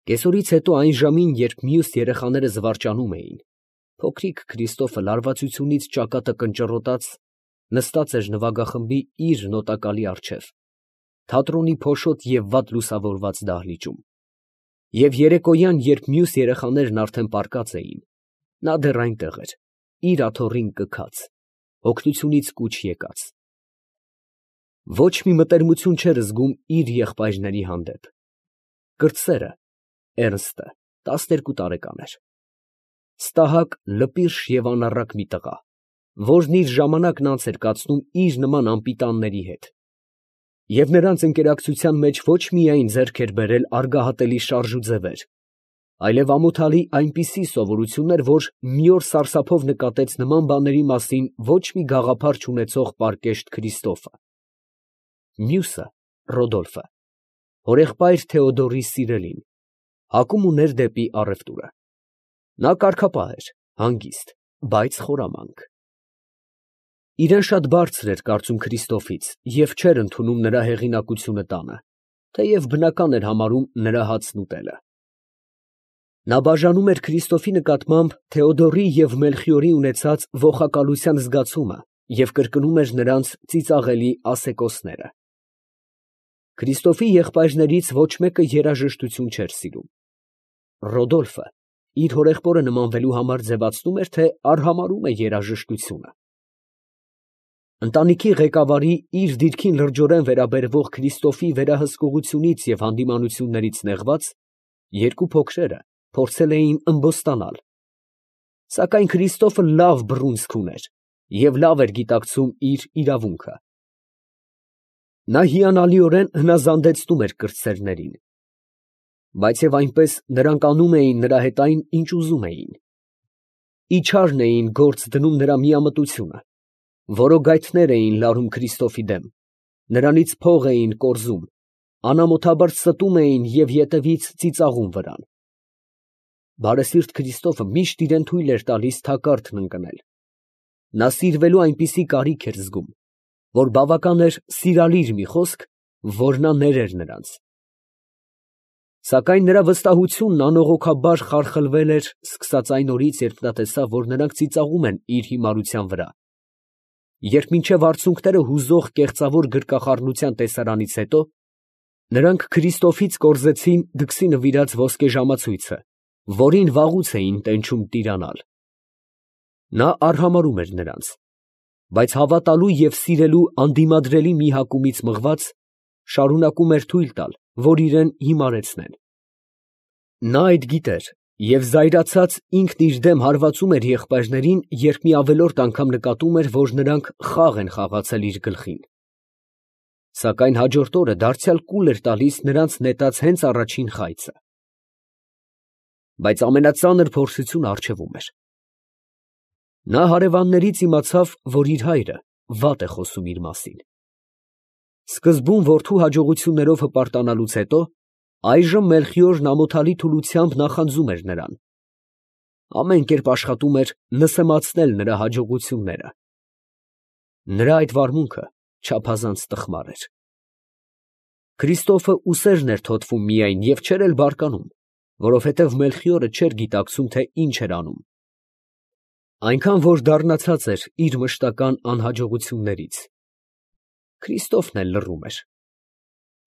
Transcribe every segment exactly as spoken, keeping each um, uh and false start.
Կեսօրից հետո այն ժամին, երբ մյուս երեխաները զվարճանում էին, փոքրիկ Քրիստոֆը լարվածությունից ճակատը կնճռոտած նստած էր նվագախմբի իր նոտակալի առջև, թատրոնի փոշոտ և վատ լուսավորված դահլիճում, և երեկոյան, երբ մյուս երեխաներն արդեն պառկած էին, նա դեռ այնտեղ էր, իր աթոռին կքած, օգնությունից կուչ եկած. ոչ մի մտերմություն չէր զգում իր եղբայրների հանդեպ. կրտսերը, Էրնստը, տասներկու տարեկան էր, ստահակ, լպիրշ և անառակ մի տղա, որն իր ժամանակն անց էր կացնում իր նման անպիտանների հետ, և նրանց ընկերակցության մեջ ոչ միայն ձեռք էր բերել արգահատելի շարժուձևեր, այլև ամոթալի այնպիսի սովորություններ, որ մի օր սարսափով նկատեց նման բաների մասին ոչ մի գաղափար չունեցող պարկեշտ Քրիստոֆը. մյուսը, Ռոդոլֆը, հորեղբայր Թեոդորի սիրելին, հակում ուներ դեպի առևտուրը. նա կարգապահ էր, հանգիստ, բայց խորամանկ. իրան շատ բարձր էր կարծում Քրիստոֆից և չէր ընդունում նրա հեղինակությունը տանը, թեև բնական էր համարում նրա հացն ուտելը. նա բաժանում էր Քրիստոֆի նկատմամբ Թեոդորի և Մելխիորի ունեցած ոխակալության զգացումը և կրկնում էր նրանց ծիծաղելի ասեկոսները. Քրիստոֆի եղբայրներից ոչ մեկը երաժշտություն չէր սիրում. Ռոդոլֆը իր հորեղբորը նմանվելու համար ձևացնում էր, թե արհամարհում է երաժշտությունը. ընտանիքի ղեկավարի իր դիրքին լրջորեն վերաբերվող Քրիստոֆի վերահսկողությունից և հանդիմանություններից նեղված, երկու փոքրերը փորձել էին ըմբոստանալ, սակայն Քրիստոֆը լավ բռունցք ուներ և լավ էր գիտակցում իր իրավունքը. նա հիանալիորեն հնազանդեցնում էր կրտսերներին, բայց և այնպես նրանք անում էին նրա հետ այն, ինչ ուզում էին. իջարն էին գործ դնում նրա միամտությունը, որոգայթներ էին լարում Քրիստոֆի դեմ, նրանից փող էին կորզում, անամոթաբար ստում էին և ետևից ծիծաղում վրան. բարեսիրտ Քրիստոֆը միշտ իրան թույլ էր տալիս թակարդն ընկնել. նա սիրվելու այնպիսի կարիք էր զգում, որ բավական էր սիրալիր մի խոսք, որ նա ներեր նրանց. սակայն նրա վստահությունն անողոքաբար խարխլվել էր սկսած այն օրից, երբ նա տեսավ, որ նրանք ծիծաղում են իր հիմարության վրա, երբ մինչև արցունքները հուզող կեղծավոր գրկախառնության տեսարանից հետո, նրանք Քրիստոֆից կորզեցին դքսի նվիրած ոսկե ժամացույցը, որին վաղուց էին տենչում տիրանալ. նա արհամարհում էր նրանց, բայց հավատալու և սիրելու անդիմադրելի մի հակումից մղված, շարունակում էր թույլ տալ, որ իրան հիմարեցնեն. նա այդ գիտեր և զայրացած ինքն իր դեմ հարվածում էր եղբայրներին, երբ մի ավելորդ անգամ նկատում էր, որ նրանք խաղ են խաղացել իր գլխին, սակայն հաջորդ օրը դարձյալ կուլ էր տալիս նրանց նետած հենց առաջին խայծը. բայց ամենածանր փորձությունը առջևում էր. նա հարևաններից իմացավ, որ իր հայրը վատ է խոսում իր մասին. սկզբում որդու հաջողություններով հպարտանալուց հետո, այժմ Մելխիորն ամոթալի թուլությամբ նախանձում էր նրան, ամեն կերպ աշխատում էր նսեմացնել նրա հաջողությունները. նրա այդ վարմունքը չափազանց տխմար էր. Քրիստոֆը ուսերն էր թոթվում միայն և չէր էլ բարկանում, որովհետև Մելխիորը չէր գիտակցում, թե ինչ էր անում, այնքան որ դառնացած էր իր մշտական անհաջողություններից. Քրիստոֆն էլ լռում էր.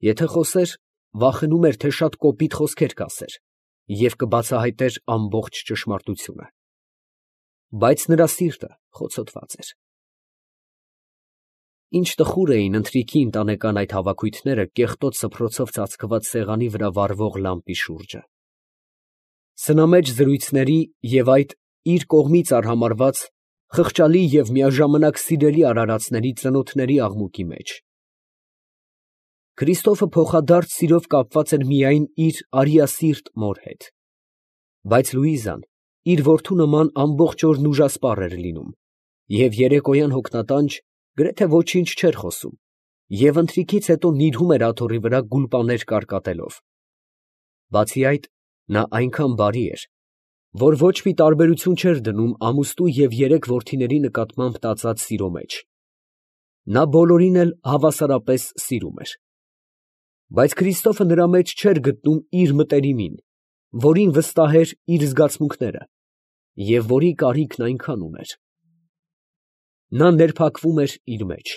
եթե խոսեր, վախենում էր, թե շատ կոպիտ խոսքեր կասեր և կբացահայտեր ամբողջ ճշմարտությունը, բայց նրա սիրտը խոցոտված էր. Ինչ տխուր էին ընթրիքի ընտանեկան այդ հավաքույթները կեղտոտ սփռոցով ծածկված սեղանի վրա վառվող լամպի շուրջը, սնամեջ զրույցների և այդ իր կողմից արհամարհված խղճալի և միաժամանակ սիրելի արարածների ծնոտների աղմուկի մեջ. Քրիստոֆը փոխադարձ սիրով կապված էր միայն իր արիասիրտ մոր հետ, բայց Լուիզան իր որդու նման ամբողջ օրն ուժասպառ էր լինում և երեկոյան հոգնատանջ գրեթե ոչինչ չէր խոսում և ընթրիքից հետո նիրհում էր աթոռի վրա գուլպաներ կարկատելով. բացի այդ, նա այնքան բարի էր, որ ոչ մի տարբերություն չէր դնում ամուսնու և երեք որդիների նկատմամբ տածած սիրո մեջ. նա բոլորին էլ հավասարապես սիրում էր. բայց Քրիստոֆը նրա մեջ չէր գտնում իր մտերիմին որին վստահ էր իր զգացմունքները և որի կարիքն այնքան ուներ։ Նա ներփակվում էր իր մեջ,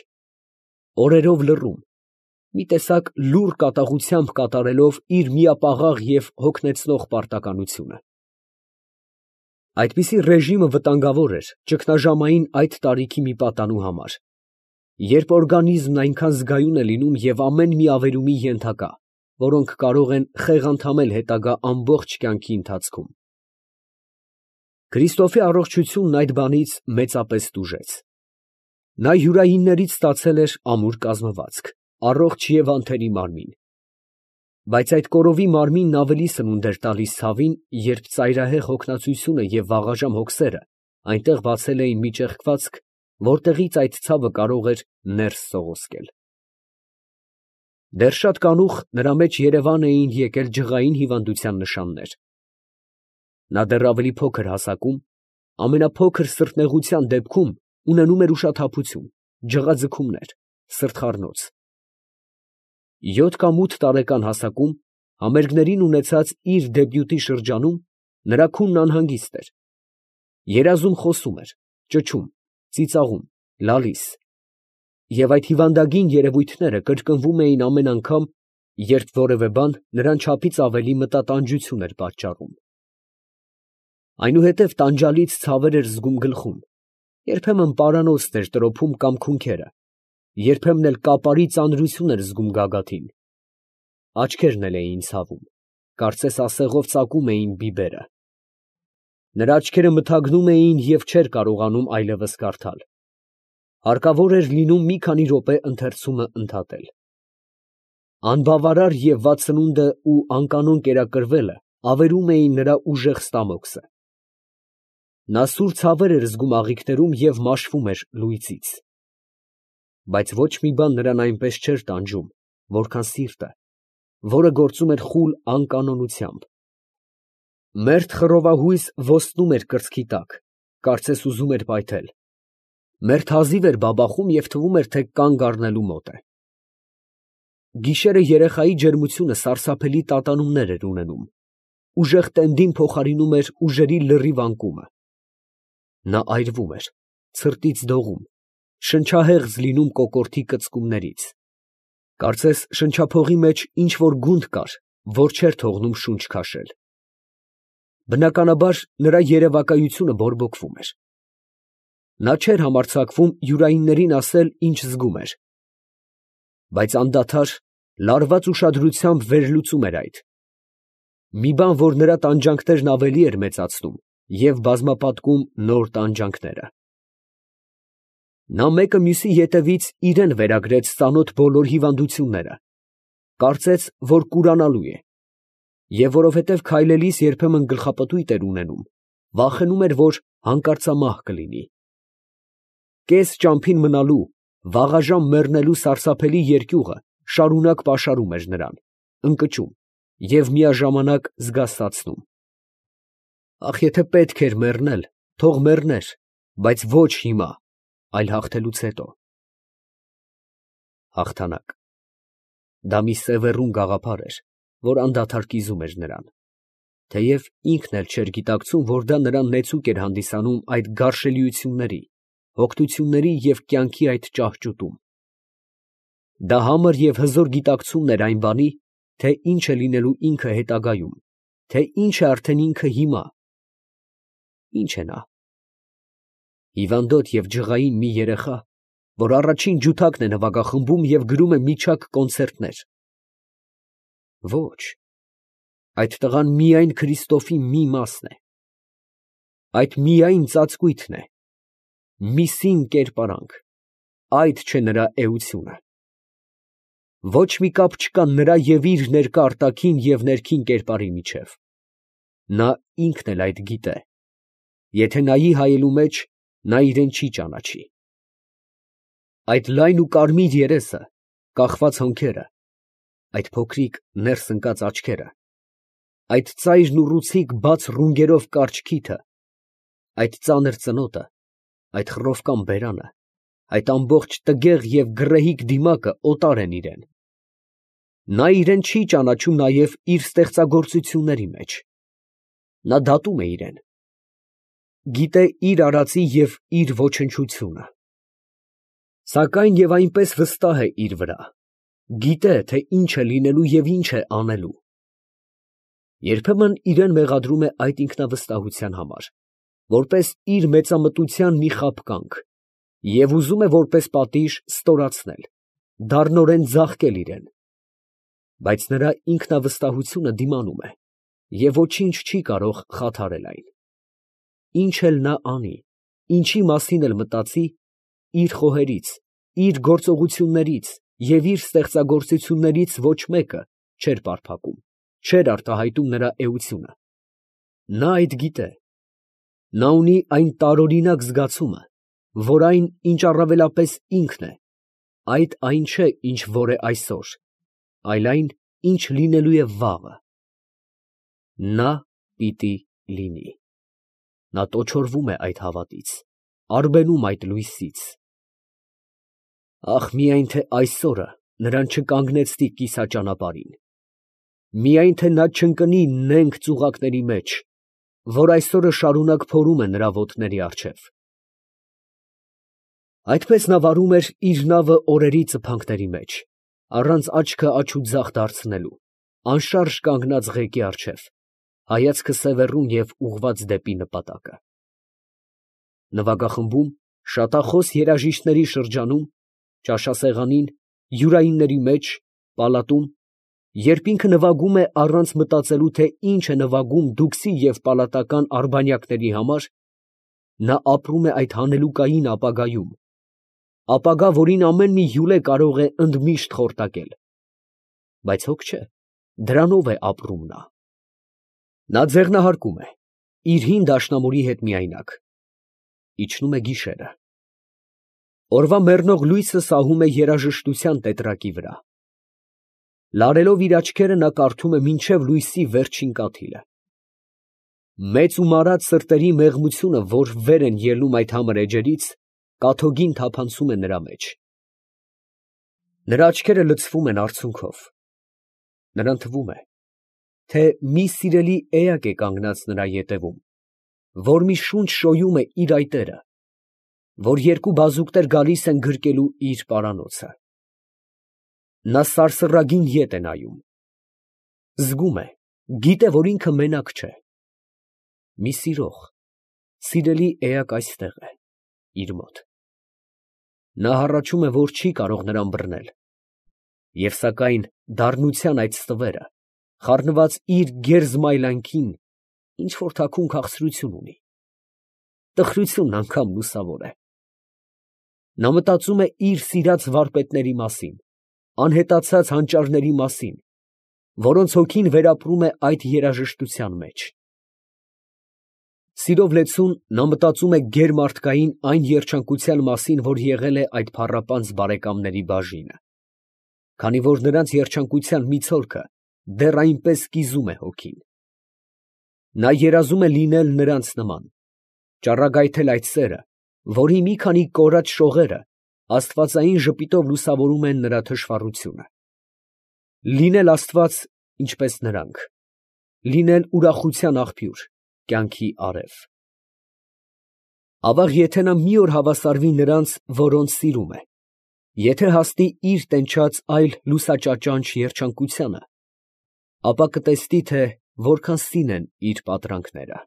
օրերով լռում, մի տեսակ լուռ կատաղությամբ կատարելով իր միապաղաղ և հոգնեցնող պարտականությունը։ Այդպիսի ռեժիմը վտանգավոր էր ճգնաժամային այդ տարիքի մի պատանու համար, երբ օրգանիզմն այնքան զգայուն է լինում և ամեն մի ավերումի ենթակա, որոնք կարող են խեղանդամել հետագա ամբողջ կյանքի ընթացքում։ Քրիստոֆի առողջությունն այդ բանից մեծապես տուժեց։ Նա յուրայիններից ստացել էր ամուր կազմվածք, առողջ և անթերի մարմին, բայց այդ կորովի մարմինն ավելի սնունդ էր տալիս ցավին, երբ ծայրահեղ հոգնածությունը և վաղաժամ հոգսերը այնտեղ բացել էին մի ճեղքվածք, որտեղից այդ ցավը կարող էր ներս սողոսկել։ Դեռ շատ կանուխ նրա մեջ երևան էին եկել ջղային հիվանդության նշաններ։ Նա դեռ ավելի փոքր հասակում, ամենափոքր սրտնեղության դեպքում ունենում էր ուշաթափություն, ջղաձգումներ, սրտխառնոց։ Յոթ կամ ութ տարեկան հասակում, համերգներին ունեցած իր դեբյուտի շրջանում, նրա քունն անհանգիստ էր, երազում խոսում էր, ճչում, ծիծաղում, լալիս, և այդ հիվանդագին երևույթները կրկնվում էին ամեն անգամ, երբ որևէ բան նրան չափից ավելի մտատանջություն էր պատճառում։ Այնուհետև տանջալից ցավեր էր զգում գլխում, երբեմն պարանոցն էր տրոփում կամ քունքերը, երբեմն էլ կապարի ծանրություն էր զգում գագաթին։ Աչքերն էլ էին ցավում, կարծես ասեղով ծակում էին բիբերը։ Նրա աչքերը մթագնում էին և չէր կարողանում այլևս կարդալ։ Հարկավոր էր լինում մի քանի րոպե ընթերցումը ընդհատել։ Անբավարար և վատ սնունդը ու անկանոն կերակրվելը ավերում էին նրա ուժեղ ստամոքսը։ Նա սուր ցավեր էր զգում աղիքներում և մաշվում էր լույսից։ Բայց ոչ մի բան նրան այնպես չէր տանջում, որքան սիրտը, որը գործում էր խուլ անկանոնությամբ։ Մերթ խռովահույս ոստնում էր կրծքի տակ, կարծես ուզում էր պայթել։ Մերթ հազիվ էր բաբախում և թվում էր, թե կանգ առնելու մոտ է։ Գիշերը երեխայի ջերմությունը սարսափելի տատանումներ էր ունենում, ուժեղ տենդին փոխարինում էր ուժերի լրիվ անկումը։ Նա այրվում էր, ցրտից դողում, շնչահեղձ լինում կոկորդի կծկումներից, կարծես շնչափողի մեջ ինչ֊որ գունդ կար, որ չէր թողնում շունչ քաշել։ Բնականաբար, նրա երևակայությունը բորբոքվում էր։ Նա չէր համարձակվում յուրայիններին ասել, ինչ զգում էր, բայց անդադար, լարված ուշադրությամբ վերլուծում էր այդ։ Մի բան, որ նրա տանջանքներն ավելի էր մեծացնում և բազմապատկում նոր տանջանքները։ Նա մեկը մյուսի ետևից իրան վերագրեց ծանոթ բոլոր հիվանդությունները, կարծեց, որ կուրանալու է, և որովհետև քայլելիս երբեմն գլխապտույտ էր ունենում, վախենում էր, որ հանկարծամահ կլինի։ Կես ճամփին մնալու, վաղաժամ մեռնելու սարսափելի երկյուղը շարունակ պաշարում էր նրան, ընկճում և միաժամանակ զգաստացնում։ Ախ, եթե պետք էր մեռնել, թող մեռներ, բայց ոչ հիմա, այլ հաղթելուց հետո։ Հաղթանակ… դա մի սևեռուն գաղափար էր, որ անդադար կիզում էր նրան, թեև ինքն էլ չէր գիտակցում, որ դա նրան նեցուկ էր հանդիսանում այդ գարշելիությունների, հոգնությունների և կյանքի այդ ճահճուտում։ Դա համր և հզոր գիտակցումն էր այն բանի, թե ինչ է լինելու ինքը հետագայում, թե ինչ է արդեն ինքը հիմա։ Ի՞նչ է նա։ Հիվանդոտ և ջղային մի երեխա, որ առաջին ջութակն է նվագախմբում և գրում է միջակ կոնցերտներ։ Ոչ, այդ տղան միայն Քրիստոֆի մի մասն է, այդ միայն ծածկույթն է, մի սին կերպարանք, այդ չէ նրա էությունը։ Ոչ մի կապ չկա նրա և իր ներկա արտաքին և ներքին կերպարի միջև։ Նա ինքն էլ այդ գիտե. եթե նայի հայելու մեջ, նա իրան չի ճանաչի։ Այդ լայն ու կարմիր երեսը, կախված հոնքերը, այդ փոքրիկ ներս ընկած աչքերը, այդ ծայրն ու ռուցիկ բաց ռունգերով կարճ քիթը, այդ ծանր ծնոտը, այդ խռովկան բերանը, այդ ամբողջ տգեղ և գռեհիկ դիմակը օտար են իրան։ Նա իրան չի ճանաչում նաև իր ստեղծագործությունների մեջ։ Նա դատում է իրեն, գիտե իր արածի և իր ոչնչությունը, սակայն և այնպես վստահ է իր վրա, գիտե, թե ինչ է լինելու և ինչ է անելու. երբեմն իրան մեղադրում է այդ ինքնավստահության համար, որպես իր մեծամտության մի խաբկանք, և ուզում է որպես պատիժ ստորացնել, դառնորեն ձաղկել իրան, բայց նրա ինքնավստահությունը դիմանում է և ոչինչ չի կարող խաթարել այն. ինչ էլ նա անի, ինչի մասին էլ մտածի, իր խոհերից, իր գործողություններից և իր ստեղծագործություններից ոչ մեկը չէր պարփակում, չէր արտահայտում նրա էությունը. նա այդ գիտե, նա ունի այն տարօրինակ զգացումը, որ այն, ինչ առավելապես ինքն է, այդ այն չէ, ինչ որ է այսօր, այլ այն, ինչ լինելու է վաղը. նա պիտի լինի. նա տոչորվում է այդ հավատից, արբենում այդ լույսից. ահ, միայն թե այսօրը նրան չկանգնեցնի կիսաճանապարհին, միայն թե նա չընկնի նենգ ծուղակների մեջ, որ այսօրը շարունակ փորում է նրա ոտների առջև… Այդպես նա վարում էր իր նավը օրերի ծփանքների մեջ, առանց աչքը աջ ու ձախ դարձնելու, անշարժ կանգնած ղեկի առջև, հայացքը սևեռուն և ուղղված դեպի նպատակը… Նվագախմբում, շատախոս երաժիշտների շրջանում, ճաշասեղանին, յուրայինների մեջ, պալատում, երբ ինքը նվագում է առանց մտածելու, թե ինչ է նվագում դուքսի և պալատական արբանյակների համար, նա ապրում է այդ հանելուկային ապագայում, ապագա, որին ամեն մի հյուրե կարող է ընդմիշտ խորտակել… Բայց հոգ չէ, դրանով է ապրում նա… Նա ձեղնահարկում է, իր հին դաշնամուրի հետ միայնակ… Իջնում է գիշերը… Օրվա մեռնող լույսը սահում է երաժշտության տետրակի վրա… Լարելով իր աչքերը, նա կարդում է մինչև լույսի վերջին կաթիլը… Մեծ ու մարած սրտերի մեղմությունը, որ վեր են ելնում այդ համր էջերից, կաթոգին թափանցում է նրա մեջ… Նրա աչքերը լցվում են արցունքով… Նրան թվում է, թե մի սիրելի էակ է կանգնած նրա ետևում, որ մի շունչ շոյում է իր այտերը, որ երկու բազուկներ գալիս են գրկելու իր պարանոցը… Նա սարսռագին ետ է նայում… Զգում է, գիտե, որ ինքը մենակ չէ… Մի սիրող, սիրելի էակ այստեղ է, իր մոտ… Նա հառաչում է, որ չի կարող նրան բռնել… Եվ սակայն դառնության այդ ստվերը, խառնված իր գերզմայլանքին, ինչ֊որ թաքուն քաղցրություն ունի… Տխրությունն անգամ լուսավոր է… Նա մտածում է իր սիրած վարպետների մասին, անհետացած հանճարների մասին, որոնց հոգին վերապրում է այդ երաժշտության մեջ… Սիրով լեցուն, նա մտածում է գերմարդկային այն երջանկության մասին, որ եղել է այդ փառապանծ բարեկամների բաժինը… Քանի որ նրանց երջանկության մի ցոլքը դեռ այնպես կիզում է հոգին… Նա երազում է լինել նրանց նման, ճառագայթել այդ սերը, որի մի քանի կորած շողերը աստվածային ժպիտով լուսավորում են նրա թշվառությունը… Լինել աստված, ինչպես նրանք… Լինել ուրախության աղբյուր, կյանքի արև… Ավաղ, եթե նա մի օր հավասարվի նրանց, որոնց սիրում է, եթե հասնի իր տենչած այլ լուսաճաճանճ երջանկությանը, ապա կտեսնի, թե որքան սին են իր պատրանքները…